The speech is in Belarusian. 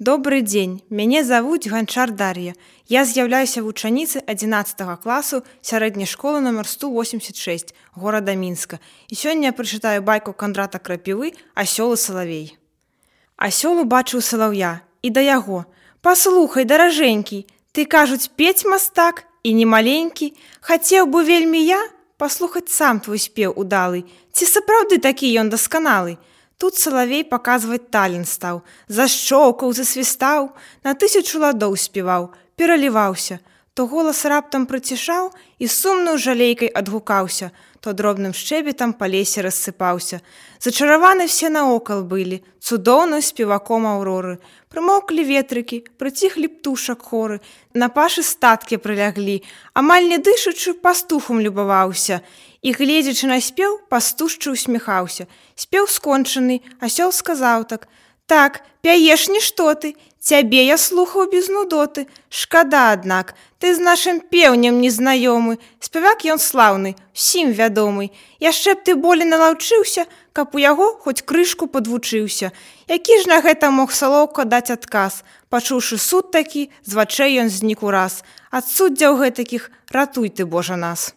Добрый дзень, мяне завуць Ганчар Дар'я. Я з'яўляюся вучаніцай 11 класу сярэдняй школы нумар 186 горада Мінска. І сёння я прачытаю байку Кандрата Крапівы «Асёл і салавей». Асёл убачыў салаўя і да яго: «Паслухай, даражэнькі, ты, кажуць, пець мастак і не маленькі. Хацеў бы вельмі я паслухаць сам твой спеў удалы. Ці сапраўды такі ён дасканалы?» Тут салавей паказваць талент стаў, зашчоўкаў, засвістаў, на 1000 ладоў спеваў, пераліваўся. То голас раптам прыцішаў і сумнаю жалейкай адгукаўся, то дробным шчэбетам па лесе рассыпаўся. Зачараваны все наокал былі, цудоўным спеваком аўроры. Прымоўклі ветрыкі, прыціхлі птушак хоры, на пашы статкі прыляглі, амаль не дышачы пастухам любаваўся. І, гледзячы на спеў, пастушчы усміхаўся. Спеў скончаны, асёл сказаў так: «Так, пяеш нішто ты, цябе я слухаў без нудоты. Шкада, аднак, ты з нашым пеўнем незнаёмы. Спявак ён слаўны, усім вядомы. Яшчэ б ты болей налаўчыўся, каб у яго хоць крышку падвучыўся». Які ж на гэта мог салоўка даць адказ? Пачуўшы суд такі, з вачэй ён знік ураз. Ад суддзяў гэтакіх ратуй ты, Божа, нас.